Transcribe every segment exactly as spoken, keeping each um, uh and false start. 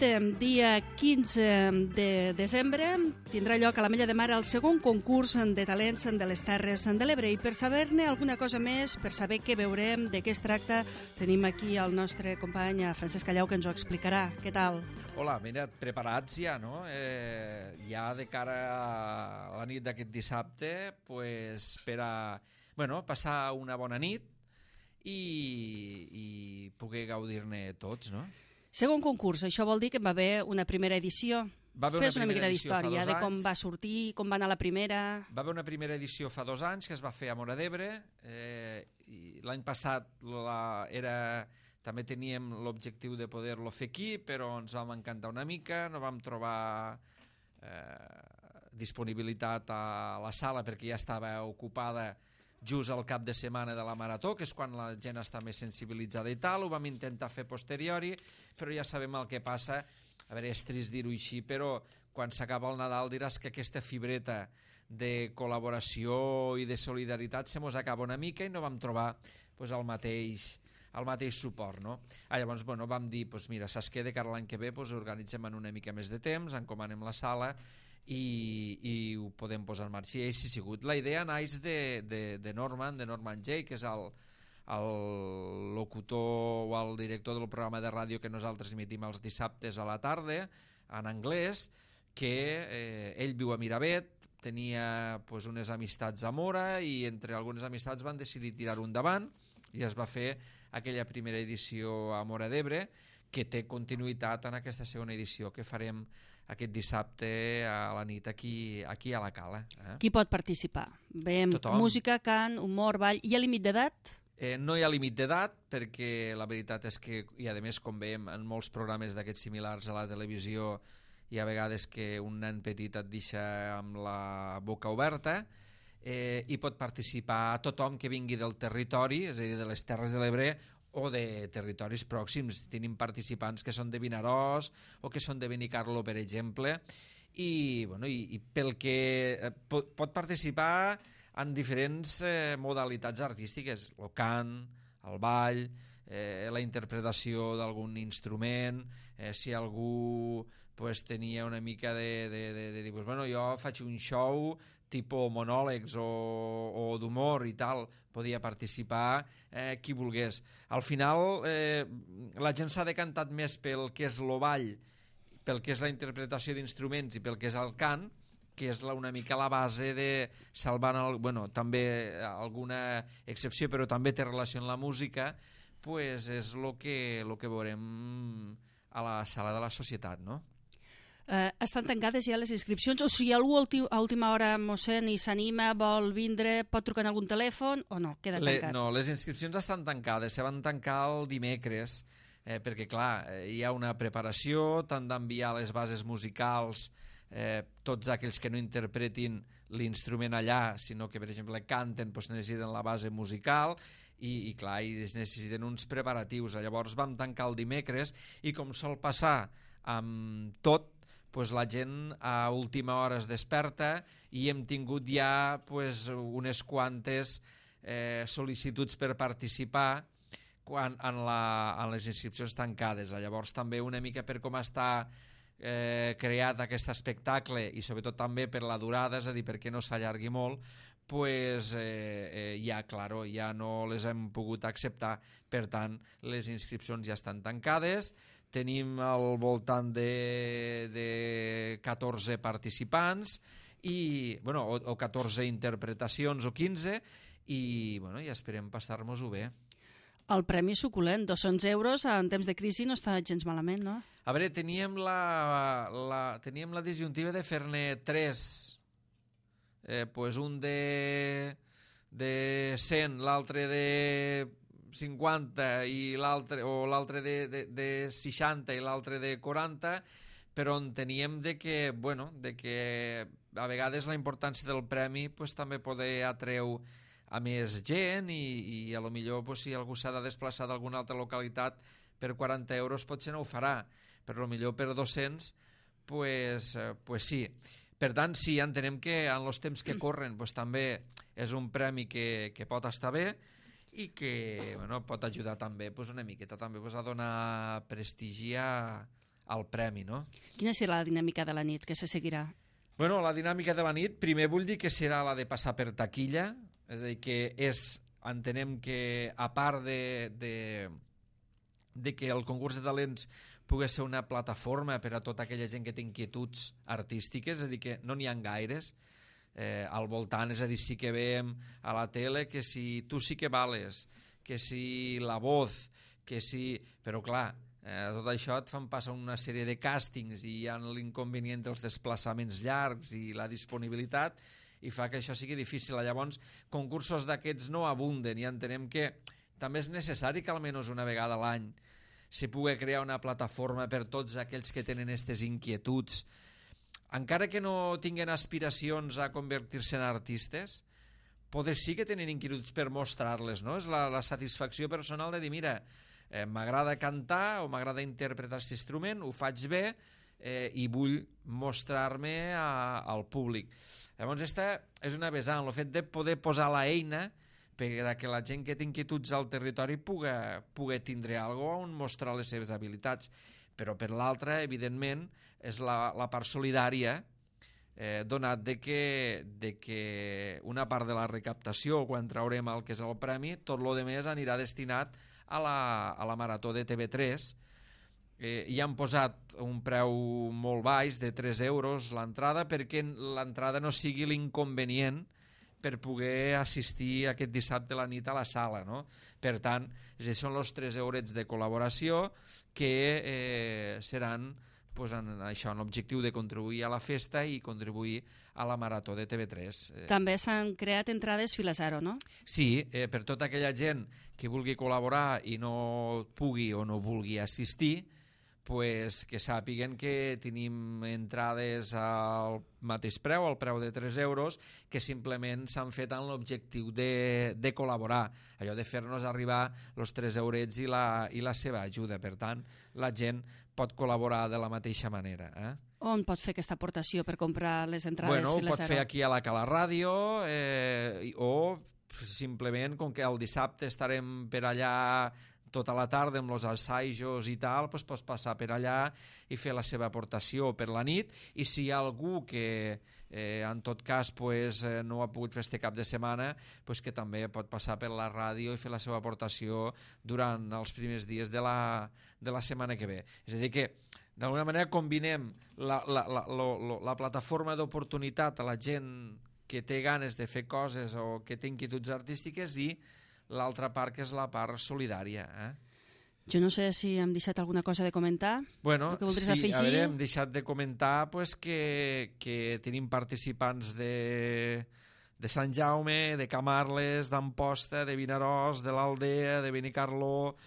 Dissabte, dia quinze de desembre, tindrà lloc a l'Ametlla de Mar el segon concurs de talents de les Terres de l'Ebre. I per saber-ne alguna cosa més, per saber què veurem, de què es tracta, tenim aquí el nostre company Francesc Callau, que ens ho explicarà. Què tal? Hola, mira, preparats ja, no? Eh, ja de cara a la nit d'aquest dissabte, pues, per a bueno, passar una bona nit i, i poder gaudir-ne tots, no? Segon concurs, això vol dir que va haver una primera edició. Va haver Fes una una mica primera edició fa d'història dos de com anys. va sortir, com va anar la primera... Va haver una primera edició fa dos anys que es va fer a Móra d'Ebre. Eh, i l'any passat la, era, també teníem l'objectiu de poder-lo fer aquí, però ens vam encantar una mica, no vam trobar eh, disponibilitat a la sala perquè ja estava ocupada just al cap de setmana de la Marató, que és quan la gent està més sensibilitzada i tal. Ho vam intentar fer posteriori, però ja sabem el que passa. A veure, és trist dir-ho així, però quan s'acaba el Nadal diràs que aquesta fibreta de col·laboració i de solidaritat se mos acaba una mica i no vam trobar pues, el mateix el mateix suport, no? Ah, llavors, bueno, vam dir, pues, mira, saps què, de cara a l'any que ve pues, organitzem en una mica més de temps, encomanem la sala i, i ho podem posar en marxa. I així ha sigut. La idea naix de, de, de Norman, de Norman Jay, que és el, el locutor o el director del programa de ràdio que nosaltres emitim els dissabtes a la tarda, en anglès, que eh, ell viu a Miravet, tenia pues, unes amistats a Móra i entre algunes amistats van decidir tirar-ho endavant i es va fer aquella primera edició a Móra d'Ebre, que té continuïtat en aquesta segona edició que farem aquest dissabte a la nit aquí, aquí a la Cala. Eh? Qui pot participar? Veiem Tothom. Música, cant, humor, ball... Hi ha límit d'edat? Eh, no hi ha límit d'edat perquè la veritat és que, i a més com veiem en molts programes d'aquests similars a la televisió, hi ha vegades que un nen petit et deixa amb la boca oberta, eh, i pot participar tothom que vingui del territori, és a dir, de les Terres de l'Ebre o de territoris pròxims. Tenim participants que són de Vinaròs o que són de Benicarló, per exemple, i, bueno, i, i pel que eh, pot, pot participar en diferents eh, modalitats artístiques, el cant, el ball, eh, la interpretació d'algun instrument, eh, si algú pues, tenia una mica de, de, de, de dir, pues, bueno, jo faig un show tipus monòlegs o, o d'humor i tal, podia participar eh, qui volgués. Al final eh, la gent s'ha decantat més pel que és el ball, pel que és la interpretació d'instruments i pel que és el cant, que és la, una mica la base de salvant el, bueno, també alguna excepció, però també té relació amb la música, pues és el que, lo que veurem a la sala de la Societat, no? Eh, estan tancades ja les inscripcions? O si algú a última hora, mossèn, i s'anima, vol vindre, pot trucar en algun telèfon o no? Queda tancat? Le, no, les inscripcions estan tancades, se van tancar el dimecres, eh, perquè clar, hi ha una preparació, t'han d'enviar les bases musicals, eh, tots aquells que no interpretin l'instrument allà, sinó que per exemple canten, doncs necessiten la base musical i, i clar, i es necessiten uns preparatius. Llavors vam tancar el dimecres i com sol passar amb tot, pues la gent a última hora es desperta i hem tingut ja pues, unes quantes eh, sol·licituds per participar quan, en, la, en les inscripcions tancades. Llavors també una mica per com està eh, creat aquest espectacle i sobretot també per la durada, és a dir, perquè no s'allargui molt, pues, eh, eh, ja, claro, ja no les hem pogut acceptar. Per tant, les inscripcions ja estan tancades. Tenim al voltant de, de catorze participants i, bueno, o, o catorze interpretacions o quinze i, bueno, ja esperem passar-nos-ho bé. El premi suculent, dos-cents euros en temps de crisi no està gens malament, no? A veure, teníem la, la, teníem la disjuntiva de fer-ne tres. Eh, pues un de, de cent, l'altre de cinquanta i l'altre o l'altre de, de, de seixanta i l'altre de quaranta, però enteníem de que, bueno, de que a vegades la importància del premi pues, també poder atreu a més gent i, i a lo millor pues, si algú s'ha de desplaçar d'alguna altra localitat per quaranta euros potser no ho farà, però a lo millor per dos-cents pues, pues sí. Per tant, sí, entenem que en els temps que corren pues, també és un premi que, que pot estar bé i que bueno, pot ajudar també pues, una miqueta també, pues, a donar prestigi a, al premi, no? Quina serà la dinàmica de la nit que se seguirà? Bueno, la dinàmica de la nit, primer vull dir que serà la de passar per taquilla, és a dir, que és, entenem que a part de, de, de que el concurs de talents pugui ser una plataforma per a tota aquella gent que té inquietuds artístiques, és a dir, que no n'hi ha gaires eh, al voltant, és a dir, sí que veiem a la tele que si tu sí que vales, que si la voz, que si... Però clar, Eh, tot això et fan passar una sèrie de càstings i hi ha l'inconvenient dels desplaçaments llargs i la disponibilitat i fa que això sigui difícil. Llavors, concursos d'aquests no abunden i entenem que també és necessari que almenys una vegada a l'any se pugui crear una plataforma per tots aquells que tenen aquestes inquietuds, encara que no tinguin aspiracions a convertir-se en artistes, poder sí que tenen inquietuds per mostrar-les, no? És la, la satisfacció personal de dir, mira, Eh, m'agrada cantar o m'agrada interpretar aquest instrument, ho faig bé eh, i vull mostrar-me al públic. Llavors, aquesta és una vessant, el fet de poder posar la eina perquè la gent que té inquietuds al territori pugui, pugui tindre alguna cosa on mostrar les seves habilitats. Però per l'altra, evidentment, és la, la part solidària, eh, donat de que, de que una part de la recaptació, quan traurem el que és el premi, tot el demés anirà destinat a la, a la Marató de T V tres. Eh, i han posat un preu molt baix de tres euros l'entrada perquè l'entrada no sigui l'inconvenient per poder assistir aquest dissabte a la nit a la sala, no? Per tant, són els tres eurets de col·laboració que eh, seran pues, en això, en l'objectiu de contribuir a la festa i contribuir a la Marató de T V tres. També s'han creat entrades fila zero, no? Sí, eh, per tota aquella gent que vulgui col·laborar i no pugui o no vulgui assistir, pues, que sàpiguen que tenim entrades al mateix preu, al preu de tres euros, que simplement s'han fet amb l'objectiu de, de col·laborar, allò de fer-nos arribar els tres eurets i la, i la seva ajuda. Per tant, la gent pot col·laborar de la mateixa manera. Eh? On pot fer aquesta aportació per comprar les entrades bueno, fila zero? Pot fer aquí a la Cala Ràdio eh, o simplement, com que el dissabte estarem per allà tota la tarda amb els assajos i tal, doncs pots passar per allà i fer la seva aportació per la nit, i si hi ha algú que eh, en tot cas pues, eh, no ha pogut fer este cap de setmana, pues, que també pot passar per la ràdio i fer la seva aportació durant els primers dies de la, de la setmana que ve. És a dir que d'alguna manera combinem la, la, la, la, la, la plataforma d'oportunitat a la gent que té ganes de fer coses o que té inquietuds artístiques i l'altra part que és la part solidària. Eh? Jo no sé si hem deixat alguna cosa de comentar. Bueno, que sí, afegir? A veure, hem deixat de comentar pues, que, que tenim participants de, de Sant Jaume, de Camarles, d'Amposta, de Vinaròs, de l'Aldea, de Benicarló,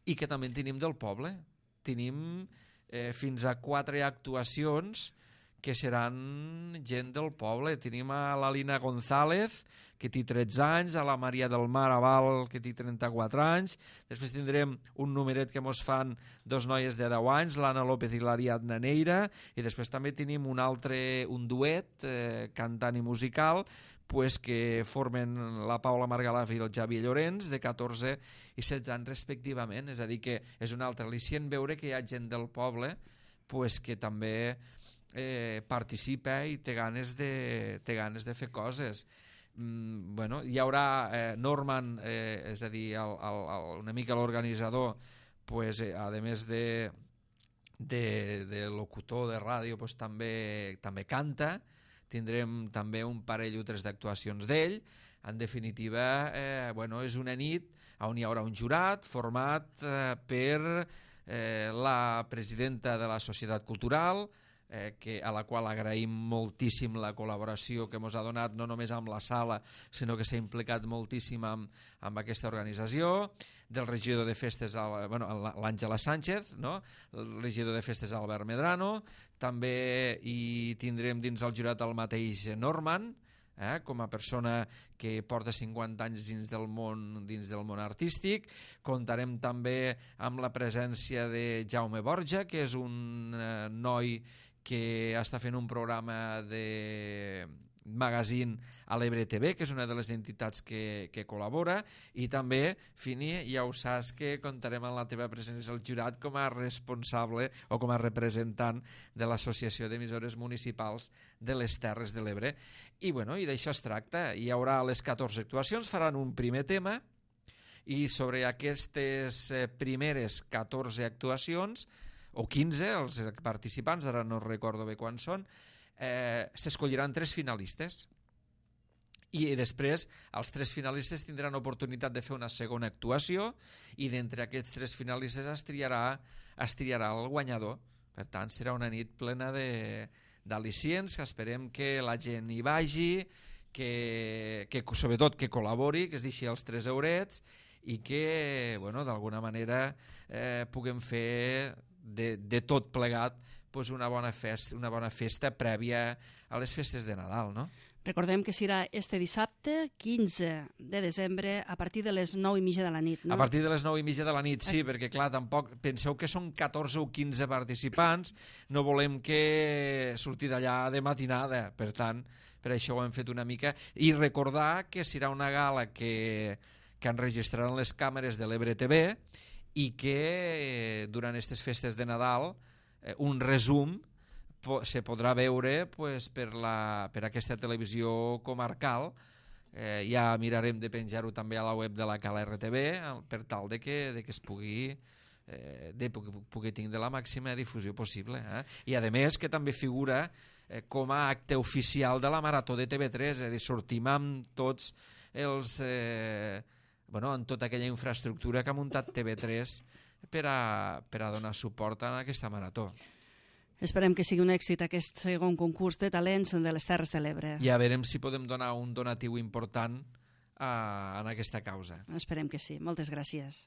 i que també en tenim del poble. Tenim eh, fins a quatre actuacions que seran gent del poble. Tenim a la Lina González, que té tretze anys, a la Maria del Mar Aval, que té trenta-quatre anys, després tindrem un numeret que mos fan dos noies de deu anys, l'Anna López i l'Ariadna Neira, i després també tenim un altre, un duet eh, cantant i musical, pues, que formen la Paula Margalaf i el Xavier Llorenç, de catorze i setze anys respectivament. És a dir, que és un altre al·licient veure que hi ha gent del poble pues, que també eh, participa i té ganes de, té ganes de fer coses. Mm, bueno, hi haurà eh, Norman, eh, és a dir, el, el, el, una mica l'organitzador, pues, eh, a més de, de, de locutor de ràdio, pues, també, també canta. Tindrem també un parell o tres d'actuacions d'ell. En definitiva, eh, bueno, és una nit on hi haurà un jurat format eh, per eh, la presidenta de la Societat Cultural, Eh, que, a la qual agraïm moltíssim la col·laboració que ens ha donat, no només amb la sala, sinó que s'ha implicat moltíssim amb, amb aquesta organització, del regidor de festes, bueno, l'Àngela Sánchez, no? El regidor de festes Albert Medrano, també hi tindrem dins el jurat el mateix Norman, eh, com a persona que porta cinquanta anys dins del món, dins del món artístic. Comptarem també amb la presència de Jaume Borja, que és un eh, noi que està fent un programa de magazine a l'Ebre T V, que és una de les entitats que, que col·labora, i també, Fini, ja ho saps que comptarem amb la teva presència al jurat com a responsable o com a representant de l'Associació d'Emissores Municipals de les Terres de l'Ebre. I, bueno, i d'això es tracta. Hi haurà les catorze actuacions, faran un primer tema, i sobre aquestes primeres catorze actuacions, o quinze, els participants, ara no recordo bé quan són, eh, s'escolliran tres finalistes. I després els tres finalistes tindran oportunitat de fer una segona actuació i d'entre aquests tres finalistes es triarà, es triarà el guanyador. Per tant, serà una nit plena d'al·licients, que esperem que la gent hi vagi, que, que sobretot que col·labori, que es deixi els tres eurets i que, bueno, d'alguna manera eh, puguem fer de, de tot plegat pues una bona festa, una bona festa prèvia a les festes de Nadal, no? Recordem que serà este dissabte, quinze de desembre, a partir de les nou i mitja de la nit, no? A partir de les nou i mitja de la nit, sí, perquè clar, tampoc penseu que són catorze o quinze participants, no volem que surti d'allà de matinada, per tant, per això ho hem fet una mica, i recordar que serà una gala que, que enregistraran les càmeres de l'Ebre T V i que durant aquestes festes de Nadal un resum se podrà veure pues, per, la, per aquesta televisió comarcal. Eh, ja mirarem de penjar-ho també a la web de la Cala R T V per tal de que, de que es pugui eh, de pugui, pugui tindre la màxima difusió possible. Eh? I a més que també figura eh, com a acte oficial de la Marató de T V tres, és a dir, sortim amb tots els... Eh, bueno, amb tota aquella infraestructura que ha muntat T V tres per a, per a donar suport a aquesta marató. Esperem que sigui un èxit aquest segon concurs de talents de les Terres de l'Ebre. I a veurem si podem donar un donatiu important a, a aquesta causa. Esperem que sí. Moltes gràcies.